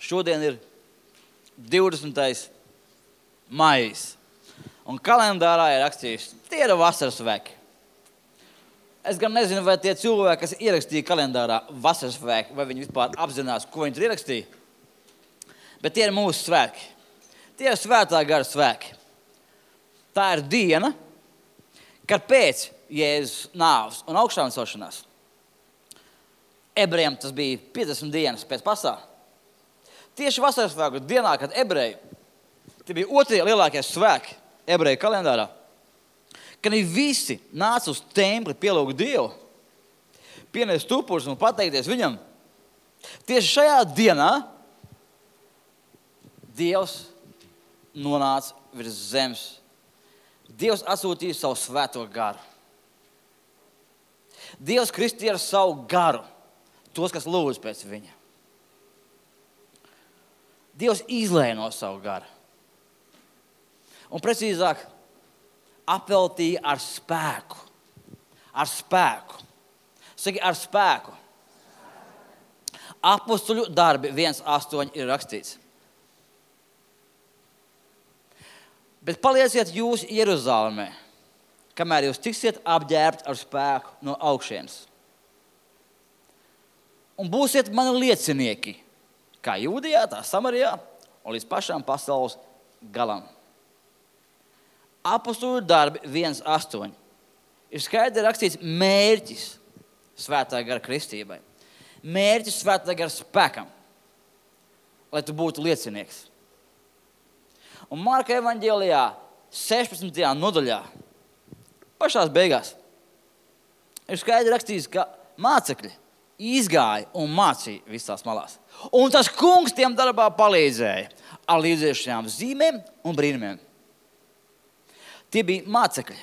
Šodien ir 20. maijs. Un kalendārā ir rakstīts, tie ir vasaras svētki. Es gan nezinu, vai tie cilvēki, kas ierakstīja kalendārā vasaras svētki, vai viņi vispār apzinās, ko viņi tur ierakstīja. Bet tie ir mūsu svētki. Tie ir svētā gara svētki. Tā ir diena, kad pēc Jēzus nāves un augšām celšanās ebrejiem tas bija 50 dienas pēc pasā. Tieši vasaras svētku dienā, kad ebreji, tie bija otrie lielākie svētki ebreju kalendārā, kad viņi visi nāca uz templi pielūgt Dievu, pienest upurus un pateikties viņam. Tieši šajā dienā Dievs nonāca virs zemes. Dievs atsūtīja savu svēto garu. Dievs kristīja ar savu garu tos, kas lūdz pēc viņa. Dievs izlēja no savu garu. Un precīzāk, apveltīja ar spēku. Ar spēku. Saki, ar spēku. Apostuļu darbi 1:8 ir rakstīts. Bet palieciet jūs Jeruzalemē, kamēr jūs tiksiet apģērbti ar spēku no augšienes. Un būsiet mani liecinieki, kā Jūdijā, tā Samarijā un līdz pašām pasaules galam. Apostuļu darbi 1:8 ir skaidri rakstīts mērķis svētā gara kristībai. Mērķis svētā gara spēkam, lai tu būtu liecinieks. Un Marka evaņģēlijā 16. nodaļā, pašās beigās, ir skaidri rakstīts, ka mācekļi izgāja un mācīja visās malās. Un tas kungs tiem darbā palīdzēja ar līdziešajām zīmēm un brīnumiem. Tie bija mācekļi.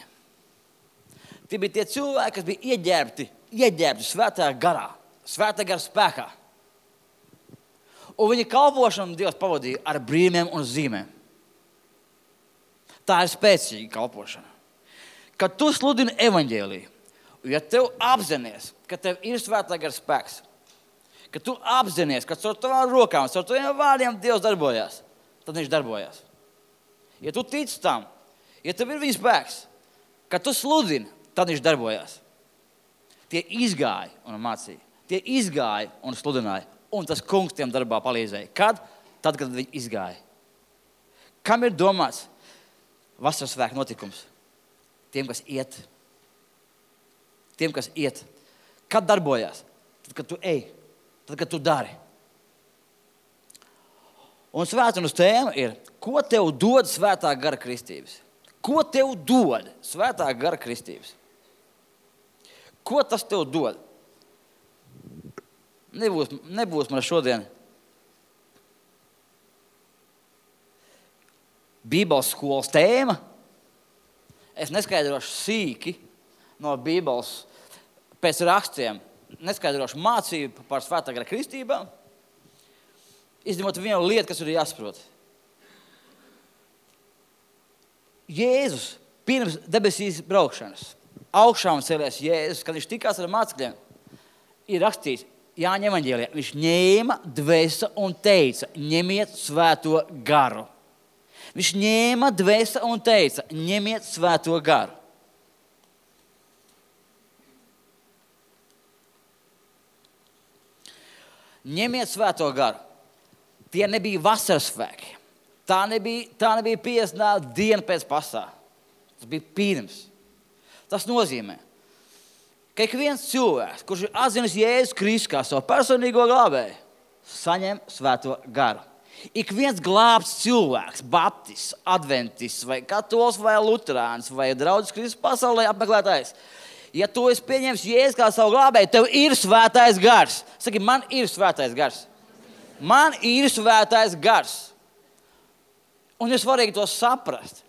Tie bija tie cilvēki, kas bija ieģērbti svētā garā, svētā gara spēkā. Un viņa kalpošanu Dievs pavadīja ar brīnumiem un zīmēm. Tā ir spēcīga kalpošana. Kad tu sludini evaņģēliju, ja tev apzinies, ka tev ir svētā gara spēks, ka tu apzinies, ka caur tavām rokām, caur taviem vārdiem Dievs darbojās, tad viņš darbojās. Ja tu tici tam, ja tev ir viņa spēks, kad tu sludini, tad viņš darbojās. Tie izgāja un mācīja. Tie izgāja un sludināja. Un tas kungs tiem darbā palīdzēja. Kad? Tad, kad viņi izgāja. Kam ir domāts vasaras svētku notikums? Tiem, kas iet. Tiem, kas iet. Kad darbojās? Tad, kad tu ej. Tad, kad tu dari. Un svētdienas tēma ir, ko tev dod svētā gara kristības? Ko tev dod svētā gara kristības? Ko tas tev dod? Nebūs man šodien Bībeles skolas tēma. Es neskaidrošu sīki no Bībeles pēc rakstiem. Neskaidrošu mācību par svētā gara kristībām. Izņemot vienu lietu, kas ir jāsaprot. Jēzus pirms debesīs braukšanas, augšām cēlies Jēzus, kad viņš tikās ar mācekļiem, ir rakstīts Jāņa evaņģēlijā. Viņš ņēma dvēsa un teica, ņemiet svēto garu. Viņš ņēma dvēsa un teica, ņemiet svēto garu. Ņemiet svēto garu. Tie nebija vasaras svētki. Tā nebija 50. diena pēc pasā. Tas bija pirms. Tas nozīmē, ka ik viens cilvēks, kurš ir atzinis Jēzus Kristu kā savu personīgo glābēju, saņem svēto garu. Ik viens glābts cilvēks, baptists, adventists, vai katols, vai luterāns, vai draudzes Kristus pasaulē apmeklētājs, ja tu esi pieņems Jēzus kā savu glābēju, tev ir svētais gars. Saki, man ir svētais gars. Man ir svētais gars. Un ir svarīgi to saprast.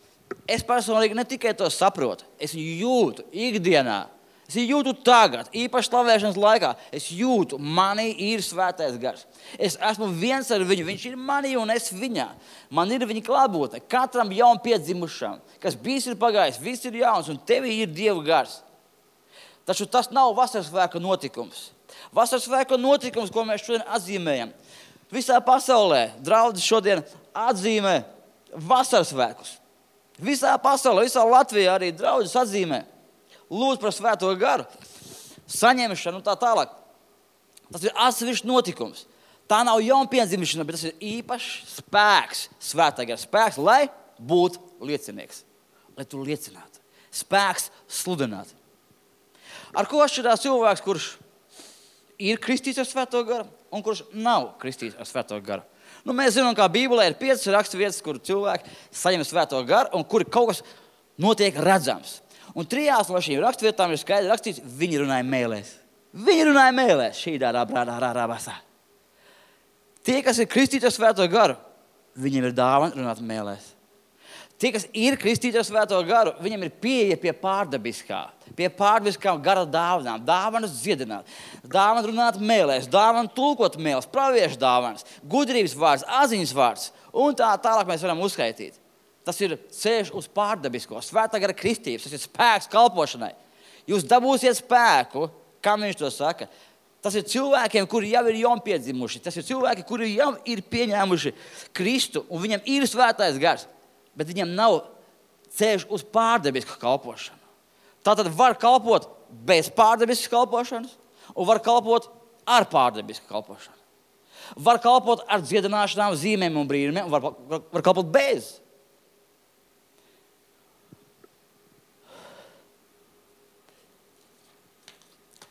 Es personīgi ne tikai to saprotu, es viņu jūtu ikdienā. Es jūtu tagad, īpaši slavēšanas laikā. Es jūtu, manī ir svētais gars. Es esmu viens ar viņu, viņš ir manī un es viņā. Man ir viņa klātbūtne, katram jaun piedzimušam, kas bijis ir pagājis, viss ir jauns un tevī ir Dieva gars. Taču tas nav vasaras svētku notikums. Vasaras svētku notikums, ko mēs šodien atzīmējam, Visā pasaulē draudzes šodien atzīmē vasaras svētkus. Visā pasaulē, visā Latvijā arī draudzes atzīmē. Lūdzu par Svēto garu, saņemšanu un tā tālāk. Tas ir atsevišķs notikums. Tā nav jaunpiedzimšana, bet tas ir īpašs spēks, Svētā gara spēks, lai būtu liecinieks. Lai tu liecinātu. Spēks sludināt. Ar ko atšķirās cilvēks, kurš ir kristīts ar Svēto garu un kurš nav kristīts ar Svēto garu? Mēs zinām, kā Bībelē ir 5 raksturvietas, kur cilvēki saņem Svēto garu un kur kaut kas notiek redzams. Un 3 no šīm raksturvietām ir skaidri rakstīts, viņi runāja mēlēs. Viņi runāja mēlēs. Šī dārā brādā basā. Tie, kas ir kristīti ar Svēto garu, viņiem ir dāvana runāt mēlēs. Tie, kas ir kristīti ar Svēto garu, viņiem ir pieeja pie pārdabiskām gara dāvanām. Dāvanas dziedināt, dāvana runāt mēlēs, dāvana tulkot mēlēs, praviešu dāvanas, gudrības vārds, atziņas vārds un tā tālāk mēs varam uzskaitīt. Tas ir ceļš uz pārdabisko, Svētā gara kristības, tas ir spēks kalpošanai. Jūs dabūsiet spēku, kā viņš to saka. Tas ir cilvēkiem, kuri jau ir jaunpiedzimuši, tas ir cilvēki, kuri jau ir pieņēmuši Kristu un viņam ir Svētais gars. Bet viņam nav ceļš uz pārdabisku kalpošanu. Tātad var kalpot bez pārdabiskas kalpošanas un var kalpot ar pārdabisku kalpošanu. Var kalpot ar dziedināšanām, zīmēm un brīnumiem un var kalpot bez.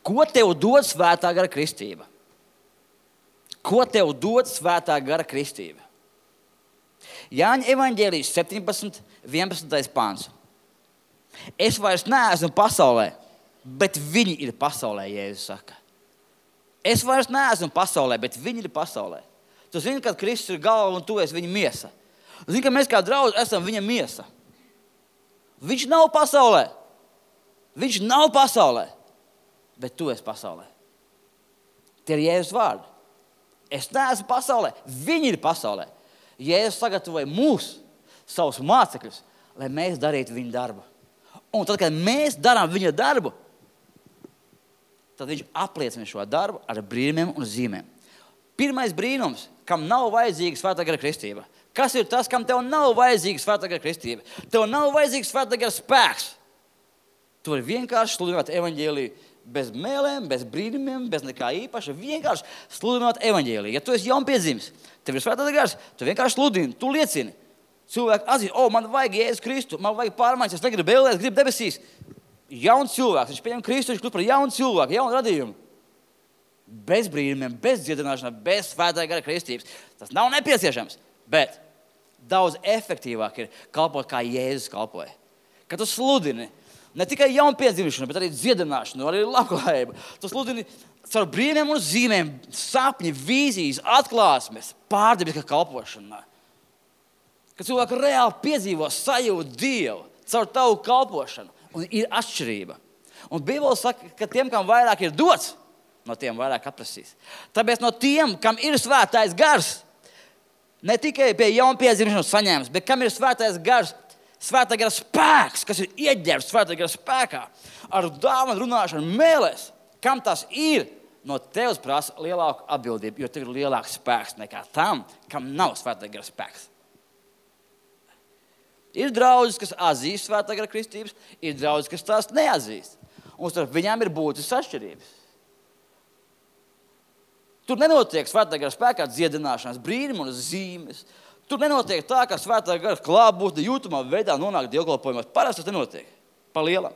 Ko tev dod Svētā gara kristība? Ko tev dod Svētā gara kristība? Jāņa evaņģēlijas 17, 11. pāns. Es vairs neesmu pasaulē, bet viņi ir pasaulē, Jēzus saka. Es vairs neesmu pasaulē, bet viņi ir pasaulē. Tu zini, ka Kristus ir galva un tu esi viņa miesa. Tu zini, ka mēs kā draudzi esam viņa miesa. Viņš nav pasaulē. Viņš nav pasaulē, bet tu esi pasaulē. Tie ir Jēzus vārdi. Es neesmu pasaulē, viņi ir pasaulē. Jēzus sagatavoja mūs, savus mācekļus, lai mēs darītu viņa darbu. Un tad, kad mēs darām viņa darbu, tad viņš apliecina šo darbu ar brīnumiem un zīmēm. Pirmais brīnums, kam nav vajadzīga Svētā gara kristība. Kas ir tas, kam tev nav vajadzīga Svētā gara kristība? Tev nav vajadzīga Svētā gara spēks. Tu vari vienkārši sludināt evaņģēliju bez mēlēm, bez brīnumiem, bez nekā īpaša. Vienkārši sludināt evaņģēliju. Ja tu esi jaunpiedzimis, tev ir Svētā gars, tu vienkārši sludini, tu liecini. Cilvēki atzīst, man vajag Jēzus Kristu, man vajag pārmaiņas, es negribu ēlēt, es gribu debesīs. Jauns cilvēks, viņš pieņem Kristu, viņš kļūst par jaunu cilvēku, jaunu radījumu. Bez brīnumiem, bez dziedināšanas, bez Svētā gara kristības. Tas nav nepieciešams, bet daudz efektīvāk ir kalpot, kā Jēzus kalpoja. Kad tu sludini ne tikai jaunpiedzimšanu, bet arī dziedināšanu, arī labklājību. Tu sludini caur brīnumiem un zīmēm, sapņi, vīzijas, atklāsmes, pārdabiskā kalpošanā. Kad cilvēki reāli piedzīvo sajūtu Dievu caur tavu kalpošanu, un ir atšķirība. Un Bībele saka, ka tiem, kam vairāk ir dots, no tiem vairāk atprasīs. Tāpēc no tiem, kam ir Svētais gars, ne tikai pie jaunpiedzimšanas saņēmis, bet kam ir Svētais gars, Svētā gara spēks, kas ir ieģērbts Svētā gara spēkā, ar dāvanu runāšanu mēlēs, kam tas ir, no tevis prasa lielāku atbildību, jo tev ir lielāks spēks nekā tam, kam nav Svētā gara spēks. Ir draudzes, kas atzīst Svētā gara kristības, ir draudzes, kas tās neatzīst. Un starp viņām ir būtiskas atšķirības. Tur nenotiek Svētā gara spēkā dziedināšanas, brīnumi un zīmes. Tur nenotiek tā, ka Svētā gara klātbūtne jūtamā veidā nonāk dievkalpojumos. Parasti tas nenotiek, pa lielam.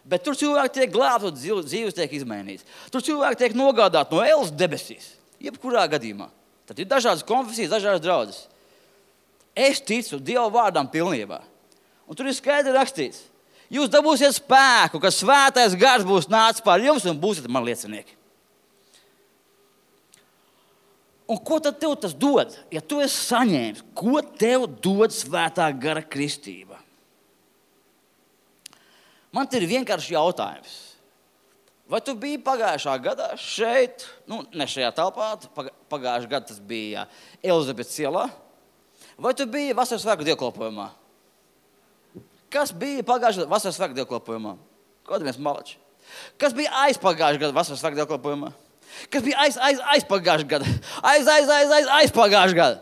Bet tur cilvēki tiek glābti un dzīves tiek izmainīts. Tur cilvēki tiek nogādāti no ēles debesīs, jebkurā gadījumā. Tad ir dažādas konfesijas, dažādas draudzes. Es ticu Dieva vārdam pilnībā. Un tur ir skaidri rakstīts. Jūs dabūsiet spēku, ka Svētais gars būs nācis pār jums un būsiet man liecinieki. Un ko tad tev tas dod? Ja tu esi saņēmis, ko tev dod Svētā gara kristība? Man te ir vienkārši jautājums. Vai tu biji pagājušā gadā šeit, ne šajā telpā, pagājušā gada tas bija Elizabetes ielā? Vai tu biji vasaras svētku dievkalpojumā? Kas bija pagājušā gada vasaras svētku dievkalpojumā? Kaut viens malači. Kas bija aizpagājušā gada vasaras svētku dievkalpojumā? Kas bija aizpagājušajā gadā? Aizpagājušajā gadā.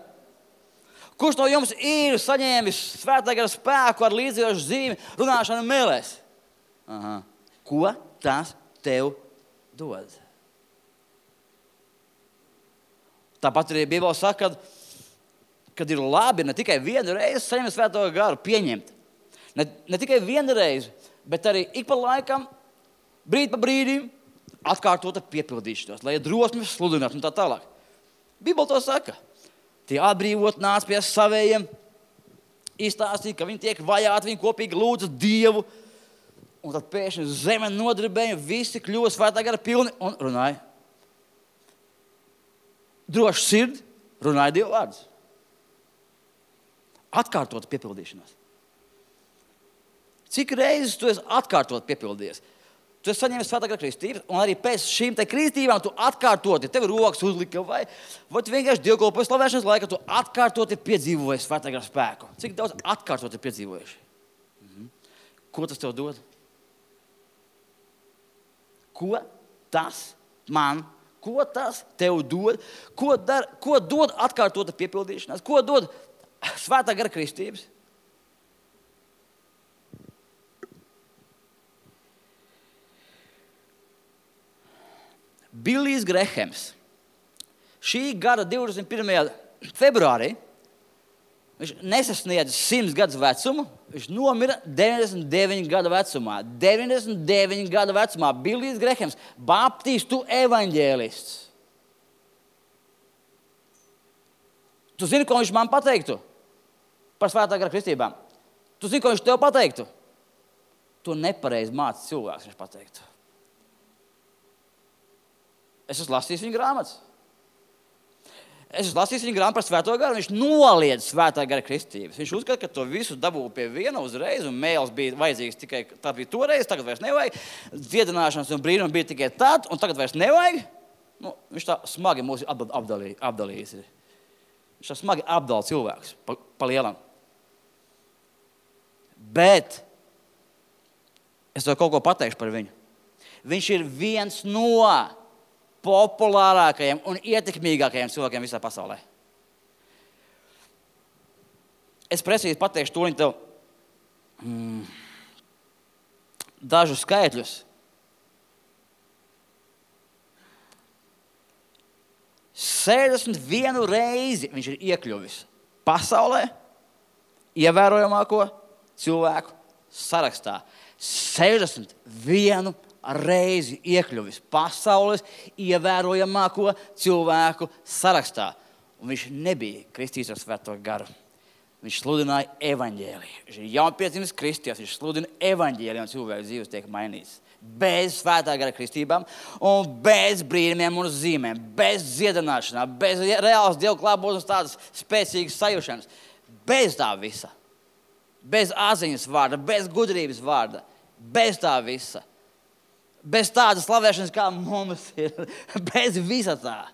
Kurš no jums ir saņēmis Svētā gara spēku ar līdzējošu zīmi runāšanu mēlēs? Aha. Ko tas tev dod? Tāpat arī Bībelē saka, kad ir labi ne tikai vienu reizi saņemt Svēto garu, pieņemt. Ne tikai vienu reizi, bet arī ik pa laikam, brīdi pa brīdim, atkārtot piepildīšanos, lai ir drosmi sludināt un tā tālāk. Bībelē to saka. Tie atbrīvot nāc pie savējiem, izstāstīja, ka viņi tiek vajāti, viņi kopīgi lūdza Dievu. Un tad pēkšņi zeme nodarbēja, visi kļuva Svētā gara pilni un runāja. Droši sirdi runāja Dievu vārdus. Atkārtot piepildīšanos. Cik reizes tu esi atkārtot piepildījies? Tu esi saņēmis Svētā gara kristības, un arī pēc šīm te kristībām tu atkārtoti, tev rokas uzlika, vai tu vienkārši dievkalpoji slavēšanas laikā, tu atkārtoti piedzīvoji Svētā gara spēku. Cik daudz atkārtoti piedzīvojuši? Ko tas tev dod? Ko tas tev dod? Ko dod atkārtota piepildīšanās? Ko dod Svētā gara kristības? Billijs Grehams. Šī gada 21. februārī viņš nesasniedza 100 gadus vecumu. Viņš nomira 99 gadu vecumā. 99 gadu vecumā Billijs Grehams, baptistu evaņģēlists. Tu zini, ko viņš man pateiktu par Svētā gara kristībām? Tu zini, ko viņš tev pateiktu? Tu nepareizi māci cilvēks, viņš pateiktu. Es esmu lasījis viņa grāmatas. Es esmu lasījis viņa grāmatu par Svēto garu, viņš noliedz Svētā gara kristības. Viņš uzskata, ka to visu dabū pie viena uzreiz, un mēls bija vajadzīgs tikai, tā bija toreiz, tagad vairs nevajag. Dziedināšanas un brīnumi bija tikai tad, un tagad vairs nevajag. Viņš tā smagi mūs apdalījis. Viņš tā smagi apdala cilvēkus pa lielam. Bet es tev kaut ko pateikšu par viņu. Viņš ir viens no populārākajiem un ietekmīgākajiem cilvēkiem visā pasaulē. Es precīzi pateikšu tūliņ tev dažus skaitļus. 61 reizi viņš ir iekļuvis pasaulē ievērojamāko cilvēku sarakstā. 61 reizi iekļuvis pasaules ievērojamāko cilvēku sarakstā. Un viņš nebija kristīts ar Svēto garu. Viņš sludināja evaņģēliju. Viņš ir jaunpiedzimis kristietis, viņš sludina evaņģēliju un cilvēku dzīves tiek mainīts. Bez Svētā gara kristībām un bez brīnumiem un zīmēm, bez dziedināšanām, bez reālas Dievu klātbūtnes tādas spēcīgas sajūšanas. Bez tā visa. Bez atziņas vārda, bez gudrības vārda. Bez tā visa. Bez tādas slavēšanas, kā mums ir. Bez visa tā.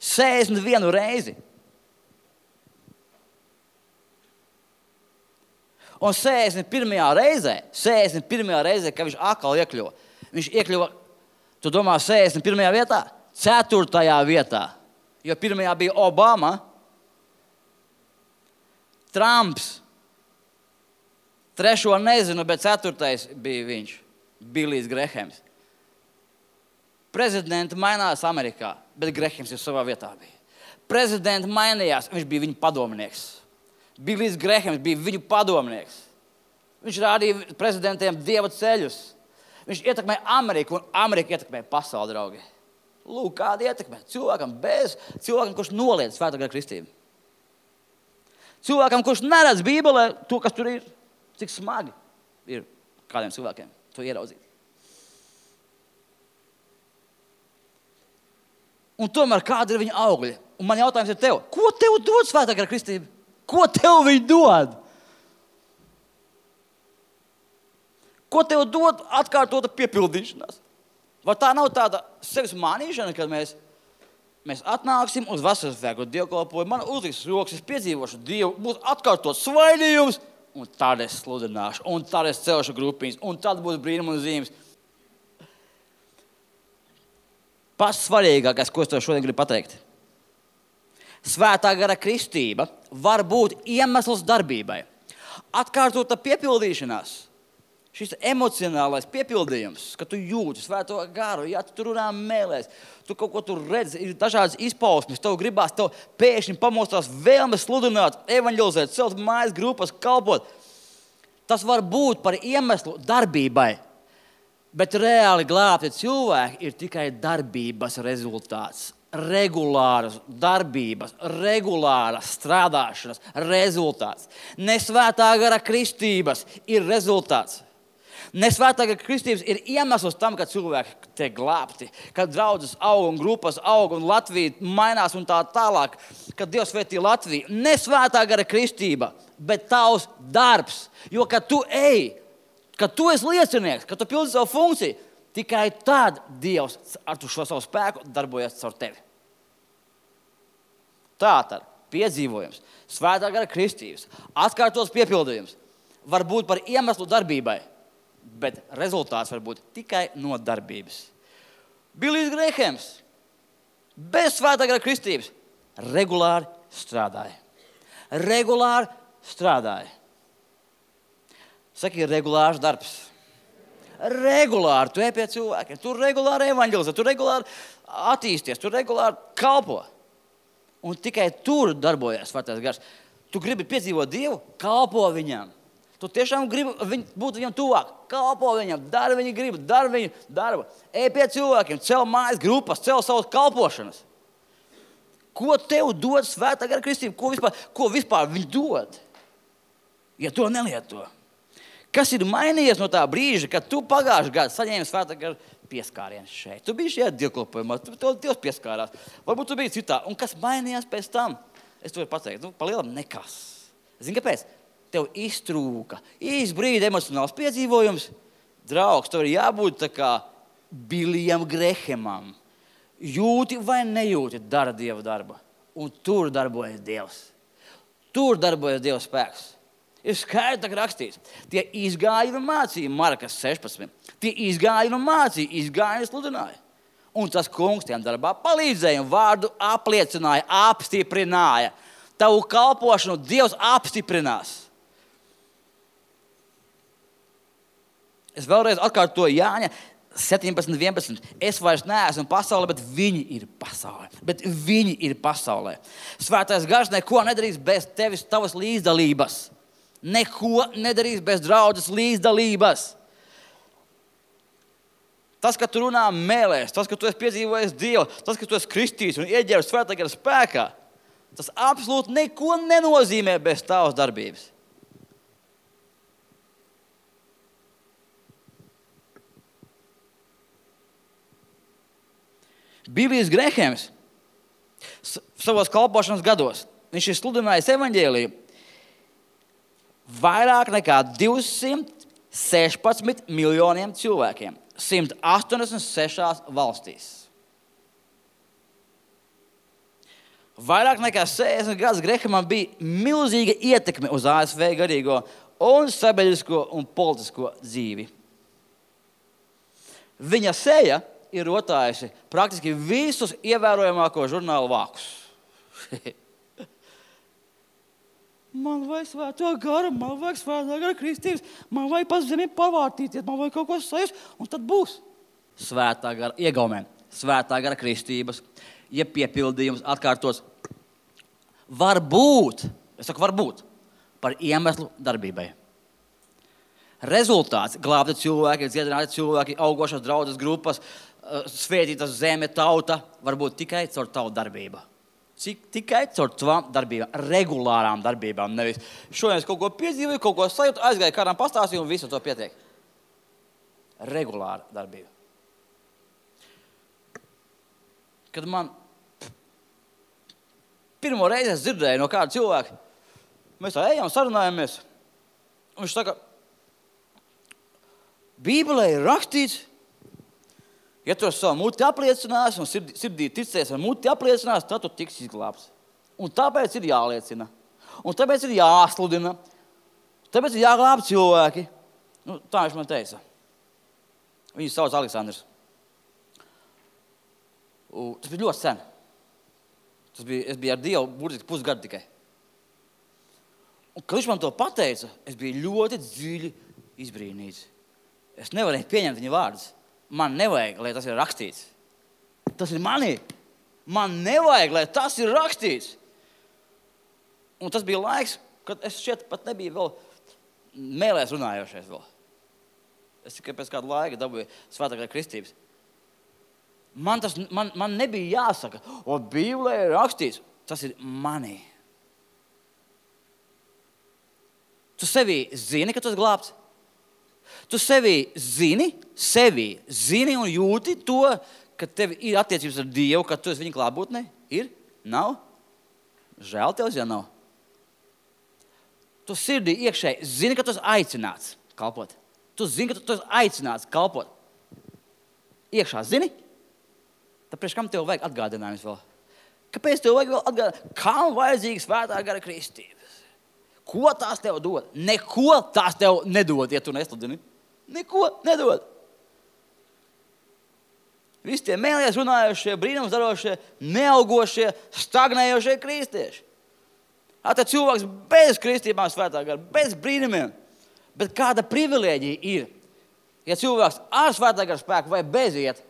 61 reizi. Un 61. reizē, kad viņš atkal iekļuva. Viņš iekļuva, tu domā, 61. vietā? 4. vietā. Jo 1. bija Obama, Trumps, 3. nezinu, bet 4. bija viņš, Billijs Grehams. Prezidenti mainās Amerikā, bet Grehams ir savā vietā bija. Prezidenti mainījās, viņš bija viņu padomnieks. Billijs Grehams bija viņu padomnieks. Viņš rādīja prezidentiem Dieva ceļus. Viņš ietekmēja Ameriku, un Amerika ietekmēja pasauli, draugi. Lūk, kāda ietekmē. Cilvēkam, kurš noliedz Svētā gara kristību. Cilvēkam, kurš neredz Bībelē to, kas tur ir, cik smagi ir kādiem cilvēkiem to ieraudzīt. Un tomēr kāda ir viņa augļi? Un man jautājums ir tev, ko tev dod Svētā gara kristība? Ko tev viņi dod? Ko tev dod atkārtota piepildīšanās? Vai tā nav tāda sevis mānīšana, kad mēs atnāksim uz vasaras svētku dievkalpojumu, man uzliks rokas, es piedzīvošu Dievu, būs atkārtot svaidījums, un tad es sludināšu, un tad es celšu grupiņas, un tad būs brīnumi un zīmes. Pats svarīgākais, ko es tev šodien gribu pateikt. Svētā gara kristība var būt iemesls darbībai. Atkārtota piepildīšanās, šis emocionālais piepildījums, ka tu jūti svēto garu, ja tu runā mēlēs, tu kaut ko tur redzi, ir dažādas izpausmes, tev gribās, tev pēkšņi pamostās vēlme sludināt, evaņģelizēt, celt mājas grupas, kalpot. Tas var būt par iemeslu darbībai, bet reāli glābti cilvēki ir tikai darbības rezultāts. Regulāras darbības, regulāras strādāšanas rezultāts. Nesvētā gara kristības ir rezultāts. Nesvētā gara kristības ir iemesls tam, ka cilvēki tiek glābti, kad draudzes aug un grupas aug un Latvija mainās un tā tālāk, kad Dievs svētī Latviju. Nesvētā gara kristība, bet tavs darbs. Jo, kad tu ej, kad tu esi liecinieks, kad tu pildi savu funkciju, tikai tad Dievs ar šo savu spēku darbojas caur tevi. Tātad piedzīvojums, svētā gara kristības, atkārtots piepildījums var būt par iemeslu darbībai, bet rezultāts var būt tikai no darbības. Billijs Grēhēms bez svētā gara kristības regulāri strādāja. Regulāri strādāja. Saki, ir regulārs darbs. Regulāri tu ej pie cilvēkiem, tu regulāri evaņģelizē, tu regulāri attīsties, tu regulāri kalpo. Un tikai tur darbojas svētais gars. Tu gribi piedzīvot Dievu, kalpo viņam. Tu tiešām gribi būt viņam tuvāk, kalpo viņam, dari viņa gribu, dari viņu darbu. Ej pie cilvēkiem, cel mājas grupas, cel savas kalpošanas. Ko tev dod svētā gara kristība? Ko vispār viņi dod, ja to nelieto? Kas ir mainījies no tā brīža, kad tu pagājušajā gadā saņēmi svētā gara pieskārienu šeit? Tu biji šajā dievkalpojumā, tev Dievs pieskārās. Varbūt tu biji citā. Un kas mainījās pēc tam? Es to varu pateikt. Palielam nekas. Zini, kāpēc? Tev iztrūka. Īs brīdi emocionāls piedzīvojums. Draugs, tev ir jābūt tā kā Billijam Grēhēmam. Jūti vai nejūti, dara Dieva darbu. Un tur darbojas Dievs. Tur darbojas Dieva spēks. Ir skaidri rakstīts. Tie izgāja un mācīja, Markas 16. Tie izgāja un mācīja, izgāja un sludināja. Un tas kungs tiem darbā palīdzēja un vārdu apliecināja, apstiprināja. Tavu kalpošanu Dievs apstiprinās. Es vēlreiz atkārtoju Jāņa 17:11. Es vairs neesmu pasaulē, bet viņi ir pasaulē. Bet viņi ir pasaulē. Svētais gars neko nedarīs bez tevis, tavas līdzdalības. Neko nedarīs bez draudzes līdzdalības. Tas, ka tu runā mēlēs, tas, ka tu esi piedzīvojis Dievu, tas, ka tu esi kristīts un ieģērbs svētā gara spēkā, tas absolūti neko nenozīmē bez tavas darbības. Billijs Grēhēms savos kalpošanas gados, viņš ir sludinājis evaņģēliju vairāk nekā 216 miljoniem cilvēkiem, 186 valstīs. Vairāk nekā 60 gadus Grēhēmam bija milzīga ietekme uz ASV garīgo un sabiedrisko un politisko dzīvi. Viņa seja ir rotājusi praktiski visus ievērojamāko žurnālu vākus. Man vajag svēto garu, man vajag svētā gara kristības, man vajag pa zemi pavārtīties, man vajag kaut ko sajust, un tad būs svētā gara iegaumē, svētā gara kristības, ja piepildījums atkārtos. Var būt, es saku var būt, par iemeslu darbībai. Rezultāts – glābti cilvēki, dziedināti cilvēki, augošas draudzes grupas, svētītas zeme, tauta var būt tikai caur tavu darbību. Tikai caur tavām darbībām, regulārām darbībām. Nevis šodien es kaut ko piedzīvoju, kaut ko sajūtu, aizgāju kādām pastāstīju un visu to pietiek. Regulāra darbība. Kad man pirmo reizi es dzirdēju no kāda cilvēka, mēs tā ejam, sarunājamies, un viņš saka, Bībelē ir rakstīts, ja tu ar savu muti apliecinās un sirdī ticēs ar muti apliecinās, tad tu tiks izglābts. Un tāpēc ir jāliecina. Un tāpēc ir jāsludina. Tāpēc ir jāglāb cilvēki. Tā viņš man teica. Viņu sauc Aleksandrs. Tas bija ļoti sen. Es biju ar Dievu burtiski pusgadu tikai. Un, kad viņš man to pateica, es biju ļoti dziļi izbrīnīts. Es nevarēju pieņemt viņa vārdus. Man nevajag, lai tas ir rakstīts. Tas ir manī. Man nevajag, lai tas ir rakstīts. Un tas bija laiks, kad es šķiet pat nebiju vēl mēlēs runājošais vēl. Es tikai pēc kāda laika dabūju svētā gara kristības. Man nebija jāsaka, Bībelē ir rakstīts. Tas ir manī. Tu sevi zini, ka tu esi glābts. Tu sevi zini un jūti to, ka tev ir attiecības ar Dievu, ka tu esi viņa klātbūtnē. Ir? Nav? Žēl tev, ja nav. Tu sirdī iekšēji zini, ka tu esi aicināts kalpot. Tu zini, ka tu esi aicināts kalpot. Iekšā zini? Tāpēc kam tev vajag atgādinājums vēl? Kāpēc tev vajag vēl atgādinājums? Kam vajadzīga svētā gara kristības? Ko tās tev dod? Neko tās tev nedod, ja tu nesludini. Neko nedod. Visi tie mēlēs runājošie, brīnums darošie, neaugošie, stagnējošie kristieši. Tā cilvēks bez kristībām svētā gara, bez brīnumiem. Bet kāda privilēģija ir, ja cilvēks ar svētā gara spēku vai bez iet,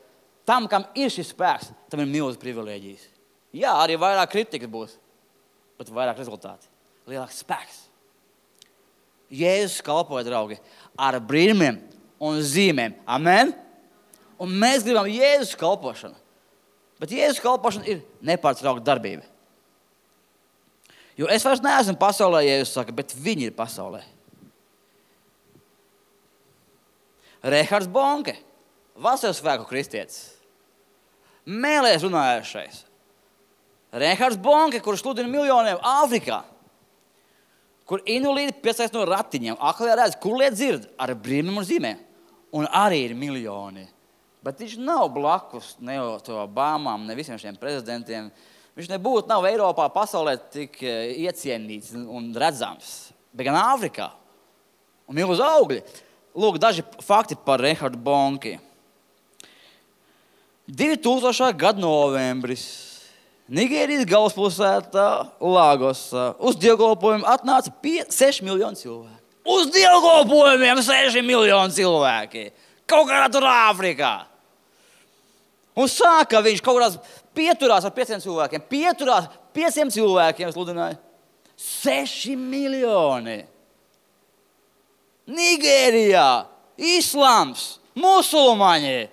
tam, kam ir šis spēks, tam ir milzīgas privilēģijas. Jā, arī vairāk kritikas būs, bet vairāk rezultāti. Lielāks spēks. Jēzus kalpoja, draugi, ar brīnumiem un zīmēm. Amen? Un mēs gribam Jēzus kalpošanu. Bet Jēzus kalpošana ir nepārtraukta darbība. Jo es vairs neesmu pasaulē, Jēzus saka, bet viņi ir pasaulē. Rehards Bonke, vasaras svēku kristietis. Mēlēs runājušais. Rehards Bonke, kurš sludina miljoniem Āfrikā. Kur invalīdi piesaist no ratiņiem. Aklie redz, kur liet dzird ar brīnumiem un zīmēm. Un arī ir miljoni. Bet viņš nav blakus ne to Obamām, ne visiem šiem prezidentiem. Viņš nebūtu nav Eiropā, pasaulē tik iecienīts un redzams. Bet gan Āfrikā. Un milz augļi. Lūk, daži fakti par Rehardu Bonki. 2000. gada novembris. Nigērijas galvaspilsētā Lagosā. Uz dievkalpojumu atnāca 6 miljoni cilvēki. Uz dievkalpojumiem 6 miljoni cilvēki. Kaut kādā tur Āfrikā. Un sāka viņš kaut kādās pieturās ar 500 cilvēkiem. Pieturās 500 cilvēkiem sludināja. 6 miljoni. Nigērijā. Islams. Musulmaņi.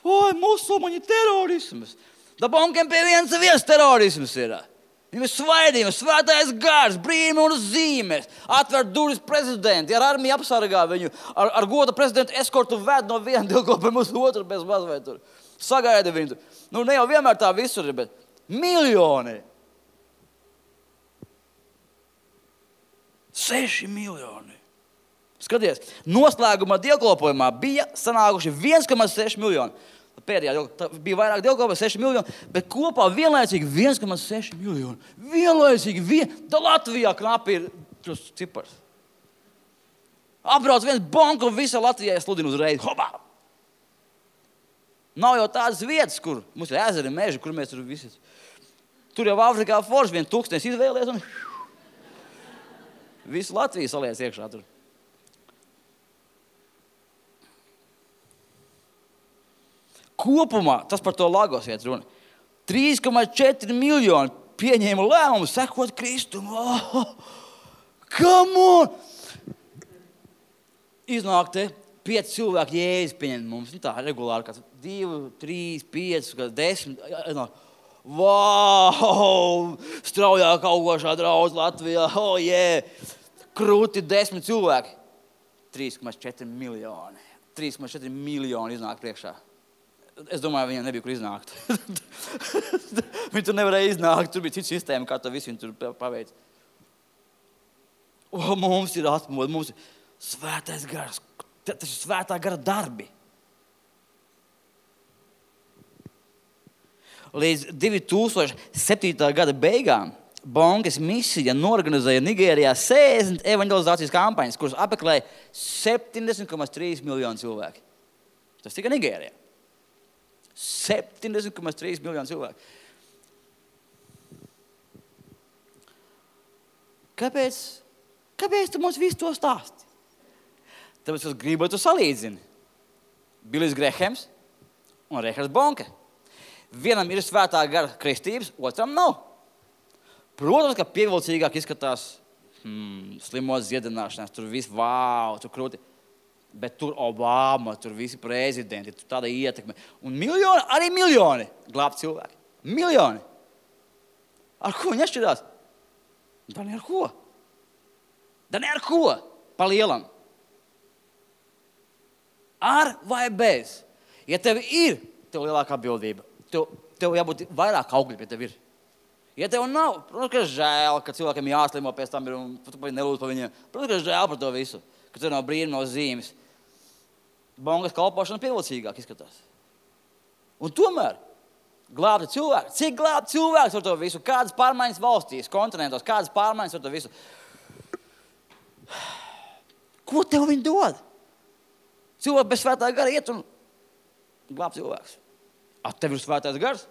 Oi, musulmaņi terorisms. Da Bonkiem pie viens terorisms ir. Viņam ir svaidījums, svētais gars, brīnumi un zīmes. Atver durvis prezidenti, ar armiju apsargā viņu, ar goda prezidentu eskortu ved no viena dievkalpojuma uz otru bez mazvai tur. Sagaida viņu tur. Nu, ne jau vienmēr tā visur ir, bet miljoni. 6 miljoni. Skaties, noslēgumā dievkalpojumā bija sanākuši 1,6 miljoni. Pēdējā bija vairāk dievkalpojumu, 6 miljoni, bet kopā vienlaicīgi 1,6 miljoni. Vienlaicīgi da Latvijā knapi ir šis cipars. Apbrauc viens Bonka un visa Latvijā sludina uzreiz. Hopā! Nav jau tādas vietas, kur mums ir ezeri, meži, kur mēs tur visi. Tur jau Āfrikā forši vien tūkstnes izvēlies un visu Latviju saliec iekšā tur. Kopumā, tas par to Lagos iet runa, 3,4 miljoni pieņēma lēmumu sekot Kristumu. Come on! Iznāk te 5 cilvēki Jēzus pieņem mums. Tā regulāri, kāds 2, 3, 5, 10. Wow! Straujāk augošā draudz Latvijā. Oh, yeah! Krūti 10 cilvēki. 3,4 miljoni. 3,4 miljoni iznāk priekšā. Es domāju, viņiem nebija, kur iznākt. Viņi tur nevarēja iznākt. Tur bija cita sistēma, kā to visu viņi tur paveic. Mums ir atmoda, mums ir svētais gars. Tas ir svētā gara darbi. Līdz 2007. gada beigām Bonkas misija norganizēja Nigērijā 60 evangelizācijas kampaņas, kuras apmeklēja 70,3 miljonu cilvēki. Tas tikai Nigērijā. 70,3 miljoni cilvēku. Kāpēc tu mums visu to stāsti? Tāpēc es gribu, lai tu salīdzini. Bilijs Grehams un Reihards Bonke. Vienam ir svētā gara kristības, otram nav. Protams, ka pievilcīgāk izskatās slimos dziedināšanās. Tur viss, tur krūti. Bet tur Obama, tur visi prezidenti, tur tāda ietekme. Un miljoni, arī miljoni glābt cilvēki. Miljoni. Ar ko viņi atšķirās? Da ne ar ko? Pa lielam. Ar vai bez? Ja tev ir, tev lielākā atbildība. Tev jābūt vairāk augļi pie tev ir. Ja tev nav, protams, ka žēl, ka cilvēkiem jāslimo pēc tam ir un tu nelūdz par viņiem. Protams, ka žēl par to visu, ka tev nav brīnuma, nav zīmes. Bongas kalpošana pievilcīgāk izskatās. Un tomēr glābti cilvēki. Cik glābti cilvēks ar to visu? Kādas pārmaiņas valstīs, kontinentos, kādas pārmaiņas ar to visu? Ko tev viņi dod? Cilvēki bez svētā gara iet un glābt cilvēks. Tev ir svētais gars?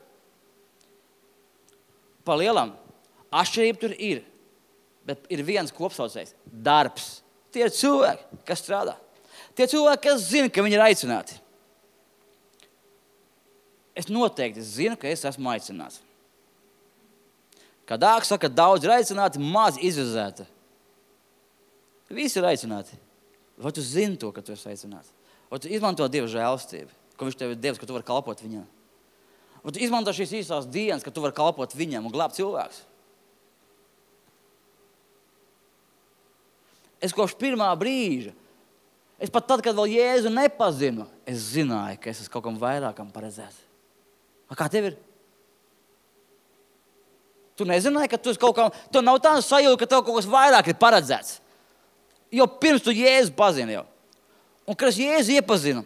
Pa lielam. Atšķirība tur ir. Bet ir viens kopsaucējs. Darbs. Tie ir cilvēki, kas strādā. Tie cilvēki, kas zina, ka viņi ir aicināti. Es noteikti zinu, ka es esmu aicināts. Kad Dārgs saka, daudz ir aicināti, maz izvizēta. Visi ir aicināti. Vai tu zini to, ka tu esi aicināts? Vai tu izmanto Dieva žēlastību, ko viņš tev ir devis, ka tu vari kalpot viņam? Vai tu izmanto šīs īsās dienas, ka tu vari kalpot viņam un glābt cilvēks? Es kopš pirmā brīža, es pat tad, kad vēl Jēzu nepazinu, es zināju, ka es esmu kaut kam vairākam paredzēts. Kā tev ir? Tu nezināji, ka tu esi kaut kam, tu nav tā sajūta, ka tev kaut kas vairāk ir paredzēts. Jo pirms tu Jēzu pazini jau. Un kad es Jēzu iepazinu,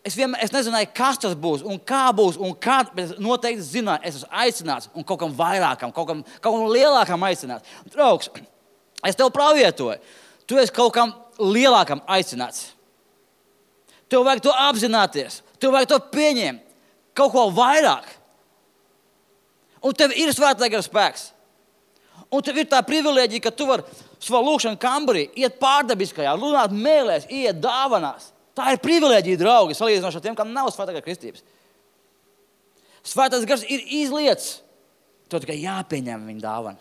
es nezināju, kas tas būs un kā būs un kā, bet es noteikti zināju, es esmu aicināts un kaut kam vairākam, kaut kam lielākam aicināts. Draugs, es tev pravietoju, tu esi kaut kam lielākam aicināts. Tev vajag to apzināties, tev vajag to pieņemt, kaut ko vairāk. Un tev ir svētā gara spēks. Un tev ir tā privilēģija, ka tu vari savā lūkšana kambarī iet pārdabiskajā, runāt mēlēs, iet dāvanās. Tā ir privilēģija, draugi, salīdzinoši ar tiem, kam nav svētā gara kristības. Svētais gars ir izliets. Tev tikai jāpieņem viņa dāvana.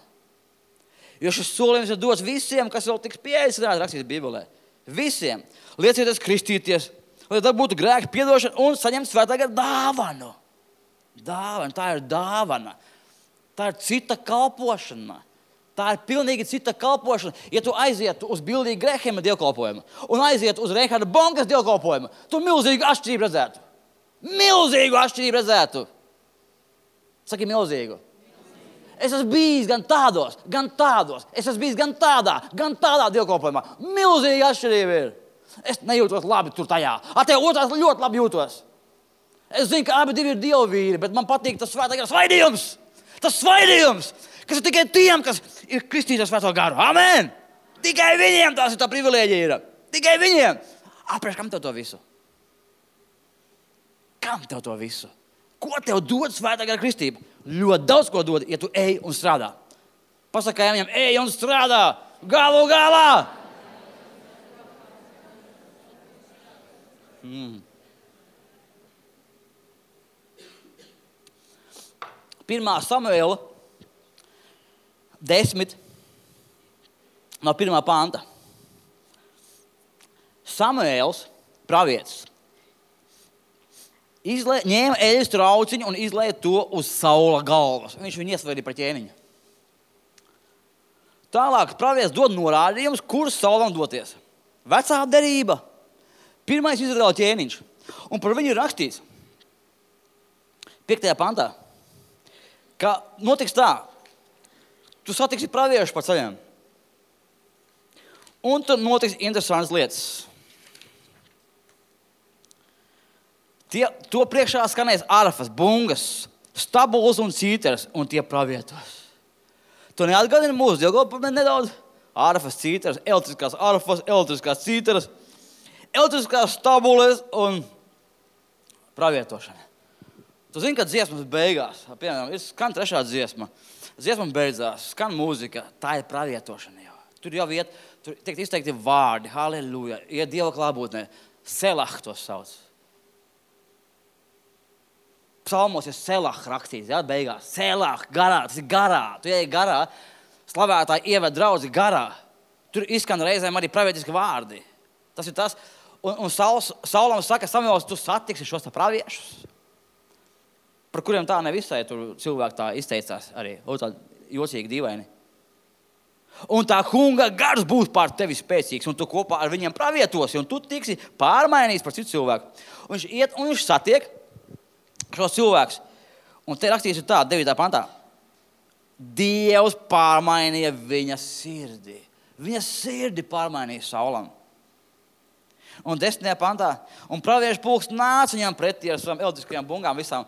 Jo šis solījums ir dots visiem, kas vēl tiks pieaicināti rakstīts Bībelē. Visiem. Liecieties kristīties, lai tad būtu grēka piedošana un saņemt svētā gara dāvanu. Dāvana, tā ir dāvana. Tā ir cita kalpošana. Tā ir pilnīgi cita kalpošana. Ja tu aizietu uz Bildī Grehema dievkalpojumu un aizietu uz Reiharda Bonkas dievkalpojumu, tu milzīgu atšķirību redzētu. Milzīgu atšķirību redzētu. Saki milzīgu. Es esmu bijis gan tādos. Es esmu bijis gan tādā dievkalpojumā. Milzīga atšķirība ir. Es nejūtos labi tur tajā. Tev otrās ļoti labi jūtos. Es zinu, ka abi divi ir dievvīri, bet man patīk tas svētā gara svaidījums. Tas svaidījums, kas ir tikai tiem, kas ir kristīti ar svēto garu. Amen! Tikai viņiem tās ir tā privilēģija ir. Tikai viņiem. Priekš, kam tev to visu? Kam tev to visu? Ko tev dod svētā gara kristība? Ļoti daudz ko dod, ja tu ej un strādā. Pasakā viņam, ej un strādā. Galu galā! Pirmā Samuēla 10 no 1. panta. Samuēls, pravietis, ņēma eļļas trauciņu un izlēja to uz Saula galvas. Viņš viņu iesvaidīja par ķēniņu. Tālāk pravietis dod norādījumus, kurus Saulam doties. Vecā derība. Pirmais Izraēla ķēniņš. Un par viņu ir rakstīts 5. pantā, ka notiks tā, tu satiksi praviešu pa ceļiem. Un tur notiks interesantas lietas. To priekšā skanēs arfas, bungas, stabuls un cīteres, un tie pravietos. Tu neatgādini mūsu dievkalpojumu nedaudz? Arfas, cīteres, elektriskās cīteres, elektriskās stabules un pravietošana. Tu zini, ka dziesmas beigās, piemēram, ir skan trešā dziesma. Dziesma beidzās, skan mūzika, tā ir pravietošana jau. Tur jau iet, tur tiek izteikti vārdi, halleluja, iet Dieva klātbūtnē, selah to sauc. Psalmos ir selah rakstīts, jā, beigās. Selah, garā, tas ir garā. Tu ej garā, slavētāji ieved draudzi garā. Tur izskan reizēm arī pravietiski vārdi. Tas ir tas. Un Saulam saka, Samuels, tu satiksi šos praviešus, par kuriem tā nevisai tur cilvēki tā izteicās arī. Tā jocīgi, dīvaini. Un tā kunga gars būs pār tevi spēcīgs, un tu kopā ar viņiem pravietosi, un tu tiksi pārmainīts par citu cilvēku. Un viņš iet, un viņš satiek šos cilvēkus. Un te rakstīts tā, 9. pantā. Dievs pārmainīja viņa sirdi. Viņa sirdi pārmainīja Saulam. Un 10. pantā. Un praviešu pulks nāca viņam pretī ar savām elektriskajām bungām visām.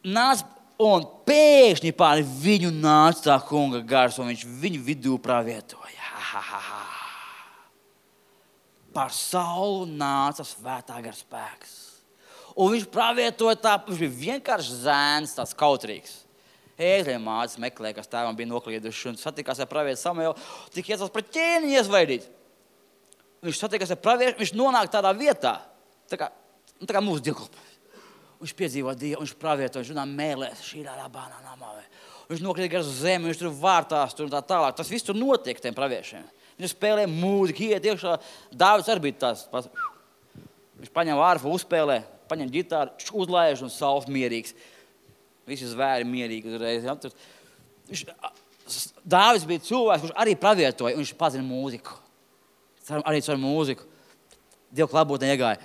Nāca un pēkšņi pār viņu nāca tā kunga gars, un viņš viņu vidū pravietoja. Par Saulu nāca svētā gara spēks. Un viņš pravietoja tā, viņš bija vienkārši zēns, tāds kautrīgs. Ēzļiem mācis meklēja, kas tēvam bija noklīduši, un satikās ar pravietu Samuelu, tik iecās pret ķēniņu iesvaidīt. Viņš satikās ar pravietu, viņš nonāk tādā vietā, tā kā mūsu dievkalpojums. Viņš piedzīvo Dievu, viņš pravietoja, viņš runā mēlēs, šī labānā namā. Viņš nokrīt gar zemi, viņš tur vārtās tur un tā tālāk. Tas viss tur notiek tiem praviešiem. Viņš spēlē mūziku, iet iekšā. Dāvids arī bija tās. Viņš paņem vārfu, uzspēlē, paņem ģitāru, uzlaiž un Sauls mierīgs. Visi zvēri mierīgi uzreiz. Ja? Dāvids bija cilvēks, kurš arī pravietoja, un viņš pazina mūziku. Arī caur mūziku. Dievu klātbūtnē iegāja.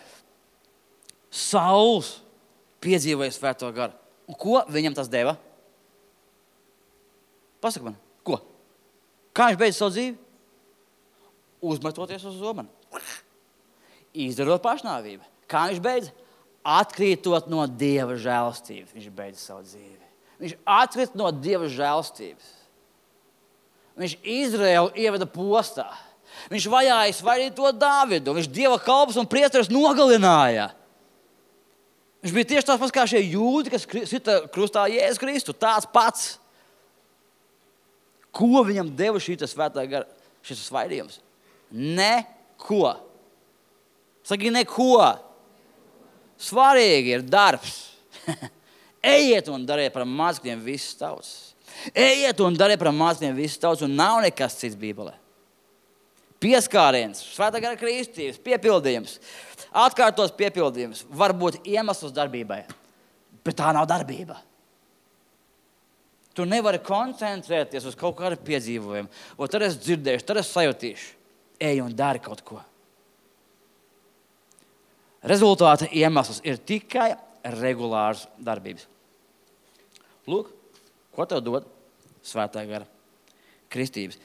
Sauls piedzīvoja svēto garu. Un ko viņam tas deva? Pasaka man, ko? Kā viņš beidza savu dzīvi? Uzmetoties uz zobenu. Izdarot pašnāvību. Kā viņš beidza? Atkrītot no Dieva žēlastības. Viņš beidza savu dzīvi. Viņš atkrīt no Dieva žēlastības. Viņš Izraēlu ieveda postā. Viņš vajāja svaidīt to Dāvidu. Viņš Dieva kalpus un priesteres nogalināja. Viņš bija tieši tāds pats kā šie jūdi, kas sita krustā Jēzus Kristu. Tāds pats. Ko viņam deva šīs svētā gara, šis svaidījums? Neko. Saki, neko. Svarīgi ir darbs. Ejiet un dariet par mācekļiem visas tautas. Ejiet un dariet par mācekļiem visas tautas, un nav nekas cits Bībelē. Pieskāriens, svētā gara kristības, piepildījums, atkārtos piepildījums, var būt iemesls darbībai, bet tā nav darbība. Tu nevari koncentrēties uz kaut kādu piedzīvojumu, o tad es dzirdēšu, tad es sajutīšu. Ej un dari kaut ko. Rezultāta iemesls ir tikai regulārs darbības. Lūk, ko tev dod svētā gara kristības.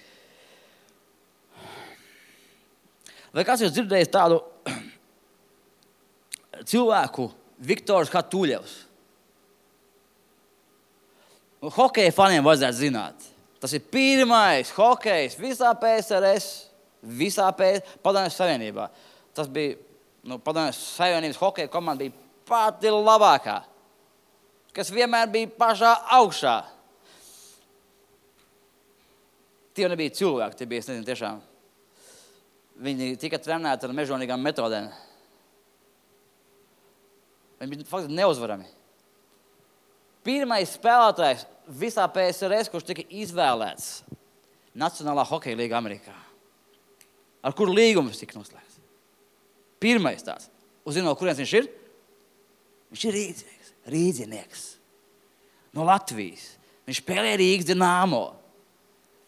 Vai kāds ir dzirdējis tādu cilvēku, Viktors Hatuļevs? Hokeja faniem vajadzētu zināt. Tas ir pirmais hokejs visā PSRS, visā Padomju Savienībā. Tas bija, Padomju Savienības hokeja komanda bija pati labākā, kas vienmēr bija pašā augšā. Tie nebija cilvēki, tie bija, es nezinu, tiešām. Viņi tika trenēti ar mežonīgām metodēm. Viņi bija faktiski neuzvarami. Pirmais spēlētājs visā PSRS, kurš tika izvēlēts Nacionālā hokeja līga Amerikā. Ar kuru līgumus tika noslēgts? Pirmais tāds. Uzzinot, kurienes viņš ir? Viņš ir rīdzinieks. No Latvijas. Viņš spēlē Rīgas Dinamo.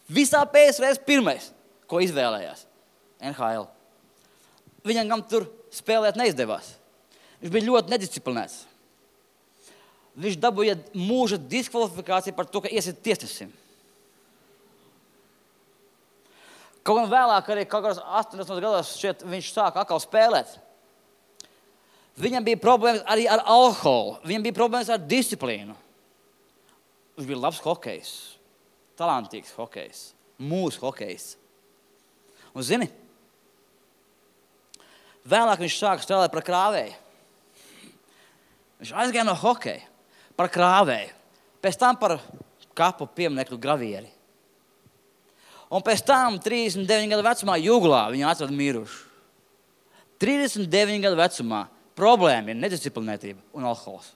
Visā PSRS pirmais, ko izvēlējās. NHL. Viņam gan tur spēlēt neizdevās. Viņš bija ļoti nedisciplinēts. Viņš dabūja mūža diskvalifikāciju par to, ka iesit tiesnesim. Kaut gan vēlāk arī kaut kādos 80 gados šeit viņš sāka atkal spēlēt. Viņam bija problēmas arī ar alkoholu. Viņam bija problēmas ar disciplīnu. Viņš bija labs hokejs. Talantīgs hokejs. Mūsu hokejs. Un zini, vēlāk viņš sāka strādāt par krāvēju. Viņš aizgāja no hokeja par krāvēju, pēc tam par kapu pieminekļu gravieri. Un pēc tam 39 gadu vecumā Juglā viņu atrada mirušu. 39 gadu vecumā problēma ir nedisciplinētība un alkohols.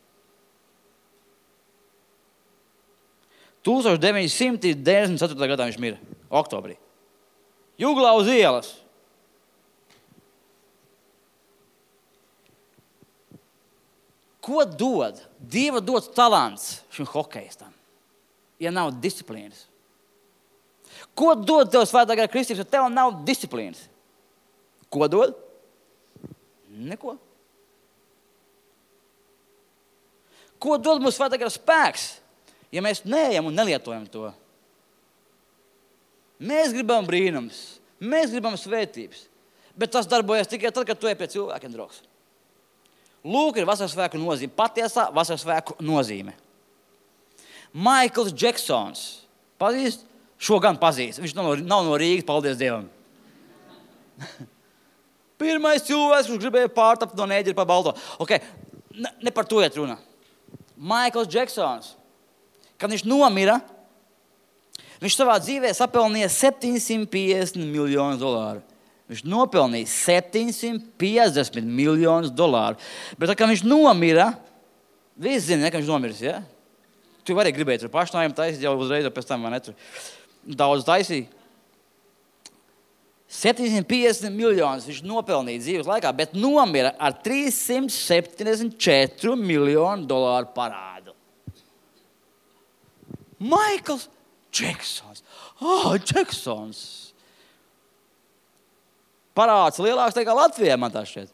1994. gadā viņš mira, oktobrī. Juglā uz ielas. Ko dod? Dieva dots talants šim hokejistam, ja nav disciplīnas? Ko dod tev svētā gara kristības, ja tev nav disciplīnas? Ko dod? Neko. Ko dod mums svētā gara spēks, ja mēs neejam un nelietojam to? Mēs gribam brīnums, mēs gribam svētības, bet tas darbojas tikai tad, kad tu ej pie cilvēkiem, draugs. Lūk, ir vasarsvēku nozīme, patiesā vasarsvēku nozīme. Maikls Džeksons, pazīst? Šo gan pazīst, viņš nav no Rīgas, paldies Dievam. Pirmais cilvēks, kurš gribēja pārtapt no Nēģeļa pa balto. Okay. Ne par to iet runa. Maikls Džeksons, kad viņš nomira, viņš savā dzīvē sapelnīja $750 miljonus. Viņš nopelnīja $750 miljonus. Bet tā, kad viņš nomira, visi zina, ka viņš nomiris, ja? Tu vari gribēt tur pašnājiem taisīt jau uzreiz, pēc tam man netur. Daudz taisīja. 750 miljonus viņš nopelnīja dzīves laikā, bet nomira ar $374 miljonu parādu. Maikls Džeksons. Džeksons. Parāds lielāks nekā Latvijā, man tā šķiet.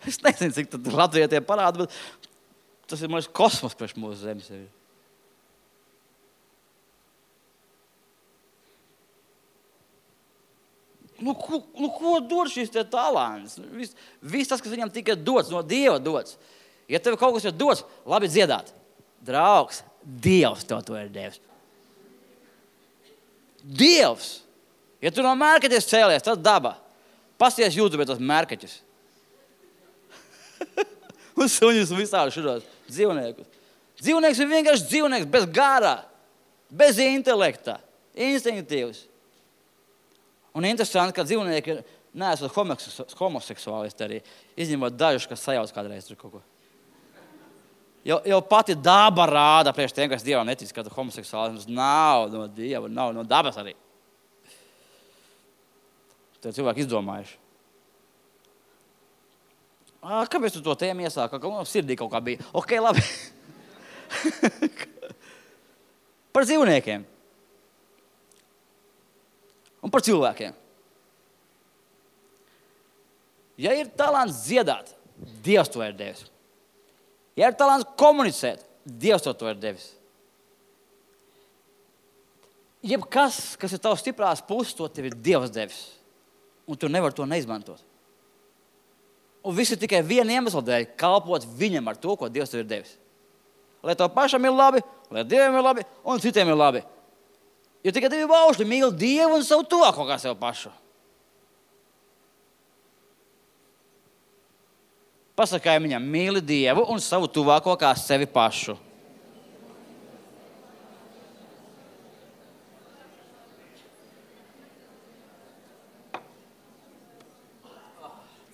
Es nezinu, cik tad Latvijā tie parādi, bet tas ir mūsu kosmos priekš mūsu zemes. Ko dod šis te talants? Viss tas, kas viņam tika dots, no Dieva dots. Ja tev kaut kas ir dots, labi dziedāt. Draugs, Dievs tev to ir devis. Dievs! Ja tu no mērkaķis cēlies, tas daba. Pasties YouTube tos mērkaķis. Un suņus un visādi šuros dzīvniekus. Dzīvnieks ir vienkārši dzīvnieks bez gara, bez intelekta, instinktīvs. Un interesanti, ka dzīvnieki neesot homoseksuālisti arī, izņemot dažus, kas sajauc kādreiz tur kaut ko. Jau pati daba rāda priekš tiem, kas Dievam netic, ka homoseksuālisms nav no Dieva, nav no dabas arī. Te cilvēki izdomājuši. Kāpēc tu to tēmu iesāki? Sirdī kaut kā bija. Ok, labi. Par dzīvniekiem. Un par cilvēkiem. Ja ir talants dziedāt, Dievs to ir devis. Ja ir talants komunicēt, Dievs to ir devis. Jebkas, kas ir tavs stiprās puses, to tev ir Dievs devis. Un tu nevar to neizmantot. Un viss ir tikai viena iemesla dēļ, kalpot viņam ar to, ko Dievs tev ir devis. Lai tev pašam ir labi, lai Dievam ir labi un citiem ir labi. Jo tikai divi baušļi mīl Dievu un savu tuvāko kā sev pašu. Pasakāj viņam, mīli Dievu un savu tuvāko kā sevi pašu.